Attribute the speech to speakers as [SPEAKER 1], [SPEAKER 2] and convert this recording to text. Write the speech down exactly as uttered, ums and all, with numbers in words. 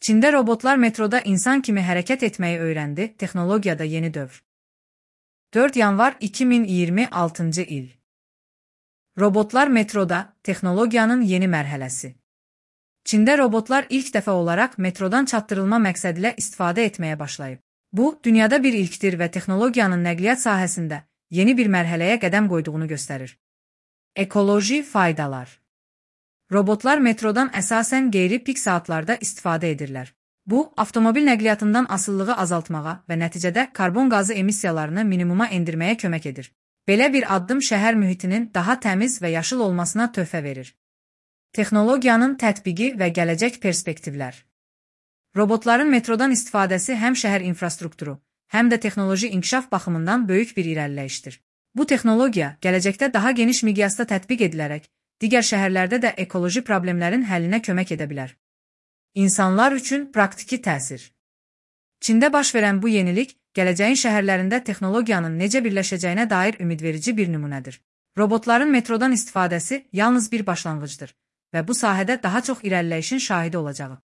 [SPEAKER 1] Çində robotlar metroda insan kimi hərəkət etməyi öyrəndi, texnologiyada yeni dövr. dörd yanvar iki min iyirmi altıncı il. Robotlar metroda, texnologiyanın yeni mərhələsi. Çində robotlar ilk dəfə olaraq metrodan çatdırılma məqsədilə istifadə etməyə başlayıb. Bu, dünyada bir ilkdir və texnologiyanın nəqliyyat sahəsində yeni bir mərhələyə qədəm qoyduğunu göstərir. Ekoloji faydalar. Robotlar metrodan əsasən qeyri-pik saatlarda istifadə edirlər. Bu, avtomobil nəqliyyatından asılılığı azaltmağa və nəticədə karbon qazı emissiyalarını minimuma endirməyə kömək edir. Belə bir addım şəhər mühitinin daha təmiz və yaşıl olmasına töhfə verir. Texnologiyanın tətbiqi və gələcək perspektivlər. Robotların metrodan istifadəsi həm şəhər infrastrukturu, həm də texnoloji inkişaf baxımından böyük bir irəliləyişdir. Bu texnologiya gələcəkdə daha geniş miqyasda tətbiq edilərək, digər şəhərlərdə də ekoloji problemlərin həllinə kömək edə bilər. İnsanlar üçün praktiki təsir. Çində baş verən bu yenilik, gələcəyin şəhərlərində texnologiyanın necə birləşəcəyinə dair ümidverici bir nümunədir. Robotların metrodan istifadəsi yalnız bir başlanğıcdır və bu sahədə daha çox irəliləyişin şahidi olacağı.